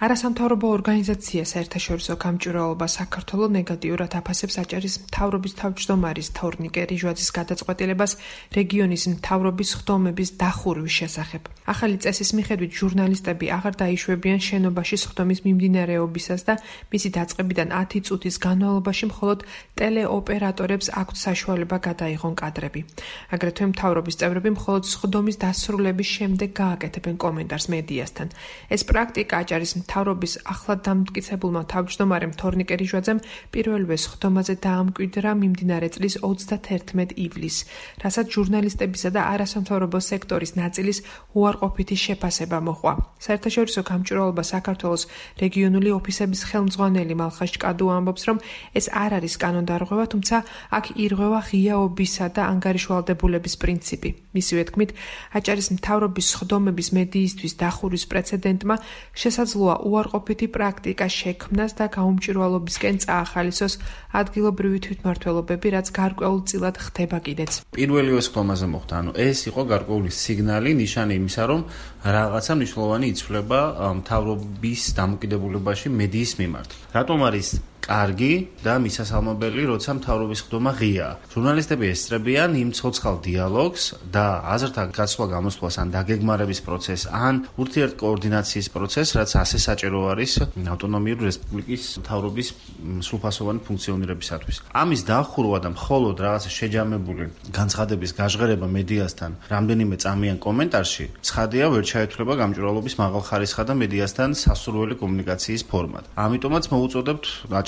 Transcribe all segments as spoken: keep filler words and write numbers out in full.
არასამთავრობო ორგანიზაცია საერთაშორისო გამჭვირვალობა საქართველოს ნეგატიურად აფასებს აჭარის მთავრობის თავმჯდომარის თორნიკე რიჟვაძის გადაწყვეტილებას რეგიონის მთავრობის სხდომების დახურვის შესახებ. ახალი წესის მიხედვით ჟურნალისტები აღარ დაიშვებიან შენობაში სხდომის მიმდინარეობისას და მისი დაწყებიდან ათი წუთის განმავლობაში მხოლოდ ტელეოპერატორებს აქვთ საშუალება გადაიღონ კადრები. აგრეთვე მთავრობის წევრები მხოლოდ სხდომის დასრულების შემდეგ გააკეთებენ კომენტარს მედიასთან. ეს პრაქტიკა აჭარის მთავრობის ახლად დამტკიცებულმა თავმჯდომარემ თორნიკე რიჟვაძემ პირველივე სხდომაზე დაამკვიდრა მიმდინარე წლის ოცდათერთმეტ ივლისს, რასაც ჟურნალისტებისა და არასამთავრობო სექტორის ნაწილის უარყოფითი შეფასება მოჰყვა. საერთაშორისო გამჭვირვალობა საქართველოს რეგიონული ოფისების ხელმძღვანელი მალხაზ ჭკადუ ამბობს, რომ ეს არ არის კანონდარღვევა, თუმცა აქ ირღვევა ღიაობისა და ანგარიშვალდებულების პრინციპი. მისივე თქმით, აჭარის მთავრობის სხდომების მედიისთვის დახურვის პრეცედენტმა შესაძლოა უარყოფითი პრაქტიკა შექმნას და გაუმჭვირვალობისკენ წაახალისოს ადგილობრივი თვითმმართველობები, რაც გარკვეულწილად ხდება კიდეც. პირველივე სხდომაზე მოხდა, ანუ ეს იყო გარკვეული სიგნალი, ნიშანი იმისა, რომ რაღაცა მნიშვნელოვანი იცვლება მთავრობის დამოკიდებულებაში მედიის მიმართ. რატომ არის კარგი და მისასალმებელი, როცა მთავრობის სხდომა ღიაა. ჟურნალისტები ესწრებიან იმ ცოცხალ დიალოგს და აზრთა გაცვლა-გამოსვლას ან დაგეგმარების პროცესს, ან ურთიერთკოორდინაციის პროცესს, რაც ასე საჭირო არის ავტონომიური რესპუბლიკის მთავრობის სრულფასოვანი ფუნქციონირებისათვის. ამის დახურვა და მხოლოდ რაღაცა შეჯამებული განცხადების გაჟღერება მედიასთან რამდენიმე წამიან კომენტარში, ცხადია, ვერ ჩაეთვლება გამჭვირვალობის მაღალ ხარისხა და მედიასთან სასურველი კომუნიკაციის ფორმად. ამიტომაც მოუწოდებთ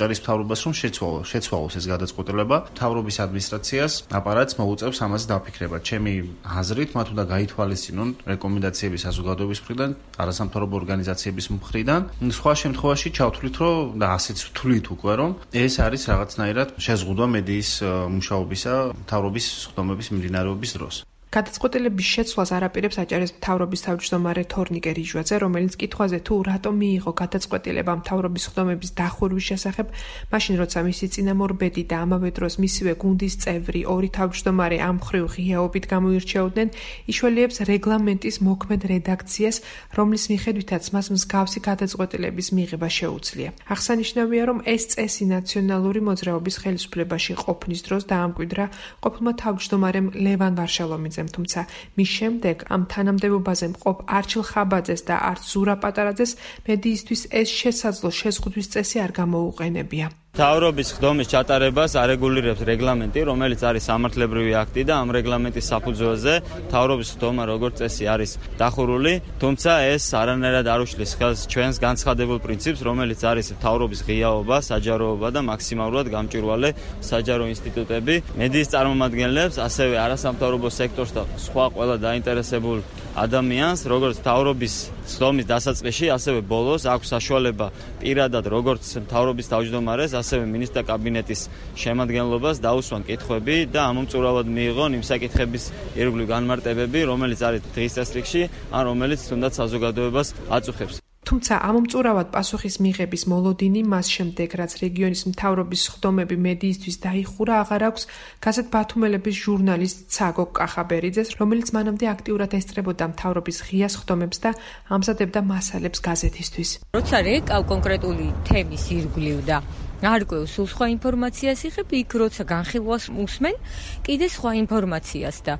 აჭარის მთავრობას, რომ შეცვალოს, შეცვალოს ეს გადაწყვეტილება. მთავრობის ადმინისტრაციას აპარატს მოუწევს ამაზე დაფიქრება. ჩემი აზრით, მათ უნდა გაითვალისწინონ რეკომენდაციების საზოგადოების მხრიდან, არასამთავრობო ორგანიზაციების მხრიდან. სხვა შემთხვევაში ჩავთვლით, რომ და ასეც ვთვლით უკვე, რომ ეს არის რაღაცნაირად შეზღუდვა მედიის მუშაობისა მთავრობის სხდომების მიმდინარეობის დროს. გადაწყვეტილების შეცვლას არაპირებს აჭარის მთავრობის თავმჯდომარე თორნიკე რიჟვაძე, რომელიც კითხვაზე თუ რატომ მიიღო გადაწყვეტილება მთავრობის სხდომების დახურვის შესახებ, მაშინ როცა მისი წინამორბედი და ამავე დროს მისივე გუნდის წევრი ორი თავმჯდომარე ამ მხრივ ღიაობით გამოირჩეოდნენ, იშველიებს რეგლამენტის მოქმედ რედაქციას, რომლის მიხედვითაც მას მსგავსი გადაწყვეტილების მიღება შეუძლია. აღსანიშნავია, რომ ეს წესი ნაციონალური მოძრაობის ხელისუფლებაში ყოფნის დროს დაამკვიდრა ყოფილმა თავმჯდომარემ ლევან ვარშალომიძემ. თუმცა მის შემდეგ ამ თანამდებობაზე მყოფ არჩილ ხაბაძეს და არც ზურა პატარაძეს მედიისთვის ეს შესაძლო შეზღუდვის წესი არ გამოუყენებია. მთავრობის სხდომის ჩატარებას არეგულირებს რეგლამენტი, რომელიც არის სამართლებრივი აქტი და ამ რეგლამენტის საფუძველზე მთავრობის სხდომა როგორც წესი არის დახურული, თუმცა ეს არანაირად არ უშლის ხელს ჩვენს განცხადებულ პრინციპს, რომელიც არის მთავრობის ღიაობა, საჯაროობა და მაქსიმალურად გამჭვირვალე საჯარო ინსტიტუტები. მედიის წარმომადგენლებს, ასევე არასამთავრობო სექტორს და სხვა ყველა დაინტერესებულ ადამიანს, როგორც მთავრობის სხდომის დასაწყისში, ასევე ბოლოს აქვს საშუალება პირადად როგორც მთავრობის თავმჯდომარეს, ასევე მინისტრთა კაბინეტის შემადგენლობას დაუსვან კითხვები და ამომწურავად მიიღონ იმ საკითხების ირგვლივ განმარტებები, რომელიც არის დღის წესრიგში, ან რომელიც თუნდაც საზოგადოებას აწუხებს. თუმცა ამომწურავად პასუხის მიღების მოლოდინი მას შემდეგ, რაც რეგიონის მთავრობის სხდომები მედიისთვის დაიხურა, აღარ აქვს გაზეთ ბათუმელების ჟურნალისტ ცაგო კახაბერიძეს, რომელიც მანამდე აქტიურად ესწრებოდა მთავრობის ღია სხდომებს და ამზადებდა მასალებს გაზეთისთვის. როცა რეკავ კონკრეტული თემის ირგვლივ და არკვევ სულ სხვა ინფორმაციას იღებ, იქ როცა განხილვას უსმენ, კიდე სხვა ინფორმაციას და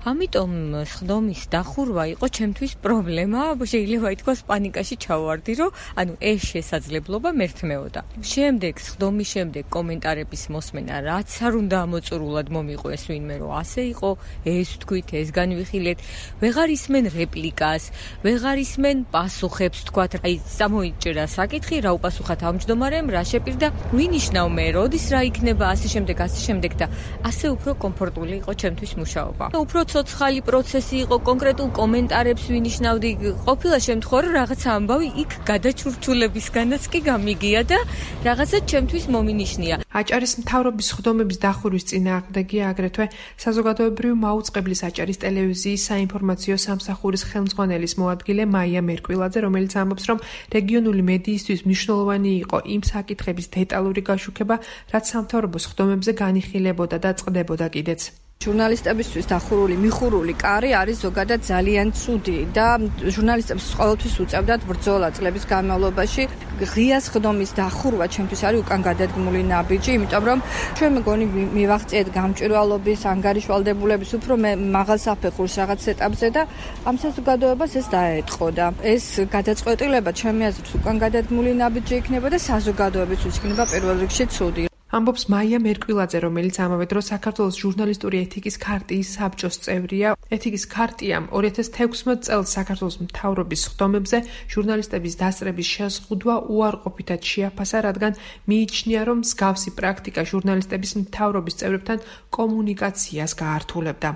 ამიტომ სხდომის დახურვა იყო ჩემთვის პრობლემა, შეიძლება ითქვას პანიკაში ჩავარდი, რომ ანუ ეს შესაძლებლობა მერთმეოდა. შემდეგ სხდომის შემდეგ კომენტარების მოსმენა, რაც არ უნდა ამოწურულად მომიყვეს ვინმე, რომ ასე იყო, ეს თქვით, ეს განვიხილეთ, ვეღარ ისმენ რეპლიკას, ვეღარ ისმენ პასუხებს, თქვათ, აი წამოიჭერა საკითხი, რა უპასუხა თავმჯდომარემ, რა შეპირდა ვინიშნავ მე, როდის რა იქნება, ასე შემდეგ, ასე შემდეგ და ასე უფრო კომფორტული იყო ჩემთვის მუშაობა. უფრო ცოცხალი პროცესი იყო, კონკრეტულ კომენტარებს ვინიშნავდი, ყოფილა შემთხვევა, რომ რაღაცა ამბავი იქ გადაჩურჩულებისგანაც კი გამიგია და რაღაცა ჩემთვის მომინიშნია. აჭარის მთავრობის სხდომების დახურვის წინააღმდეგია აგრეთვე საზოგადოებრივი მაუწყებლის აჭარის ტელევიზიის საინფორმაციო სამსახურის ხელმძღვანელის მოადგილე მაია მერკვილაძე, რომელიც ამბობს, რომ რეგიონული მედიისთვის მნიშვნელოვანი იყო იმ საკითხების დეტალური გაშუქება, რაც სამთავრობო სხდომებზე განიხილებოდა და წყდებოდა კიდეც. ჟურნალისტებისთვის დახურული მიხურული კარი არის ზოგადად ძალიან ცუდი და ჟურნალისტებს ყოველთვის უწევდათ ბრძოლა წლების განმავლობაში. ღია სხდომის დახურვა ჩემთვის არის უკან გადადგმული ნაბიჯი, იმიტომ რომ ჩვენ მეგონი მივაღწიეთ გამჭვირვალობის, ანგარიშვალდებულების უფრო მაღალ საფეხურს რაღაც ეტაპზე და ამ საზოგადოებას ეს დაეწყო და ეს გადაწყვეტილება ჩემი აზრით უკან გადადგმული ნაბიჯი იქნება და საზოგადოებისთვის იქნება პირველ რიგში ცუდი. ამბობს მაია მერკვილაძე, რომელიც ამავე დროს საქართველოს ჟურნალისტური ეთიკის ქარტიის საბჭოს წევრია. ეთიკის ქარტიამ ორი ათას თექვსმეტ წელს საქართველოს მთავრობის სხდომებზე ჟურნალისტების დასწრების შეზღუდვა უარყოფითად შეაფასა, რადგან მიიჩნია, რომ მსგავსი პრაქტიკა ჟურნალისტების მთავრობის წევრებთან კომუნიკაციას გაართულებდა.